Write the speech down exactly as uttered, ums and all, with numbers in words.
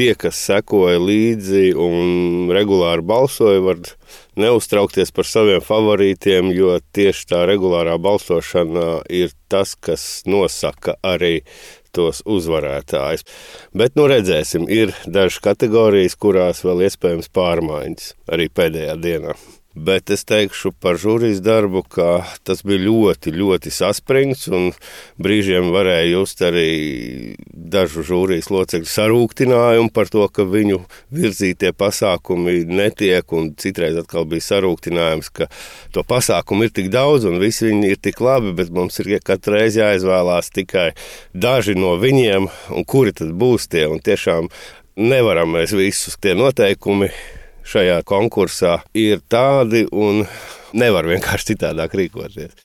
tie, kas sekoja līdzi un regulāri balsoja, var neuztraukties par saviem favorītiem, jo tieši tā regulārā balsošana ir tas, kas nosaka arī tos uzvarētājus. Bet, nu redzēsim, ir dažas kategorijas, kurās vēl iespējams pārmaiņas arī pēdējā dienā. Bet es teikšu par žūrijas darbu, ka tas bija ļoti, ļoti saspringts un brīžiem varēja just arī dažu žūrijas locekļu sarūktinājumu par to, ka viņu virzītie pasākumi netiek, un citreiz atkal bija sarūktinājums, ka to pasākumu ir tik daudz un visi viņi ir tik labi, bet mums ir katru reizi jāizvēlās tikai daži no viņiem, un kuri tad būs tie, un tiešām nevaram mēs visus tie noteikumi šajā konkursā ir tādi un nevar vienkārši citādāk rīkoties.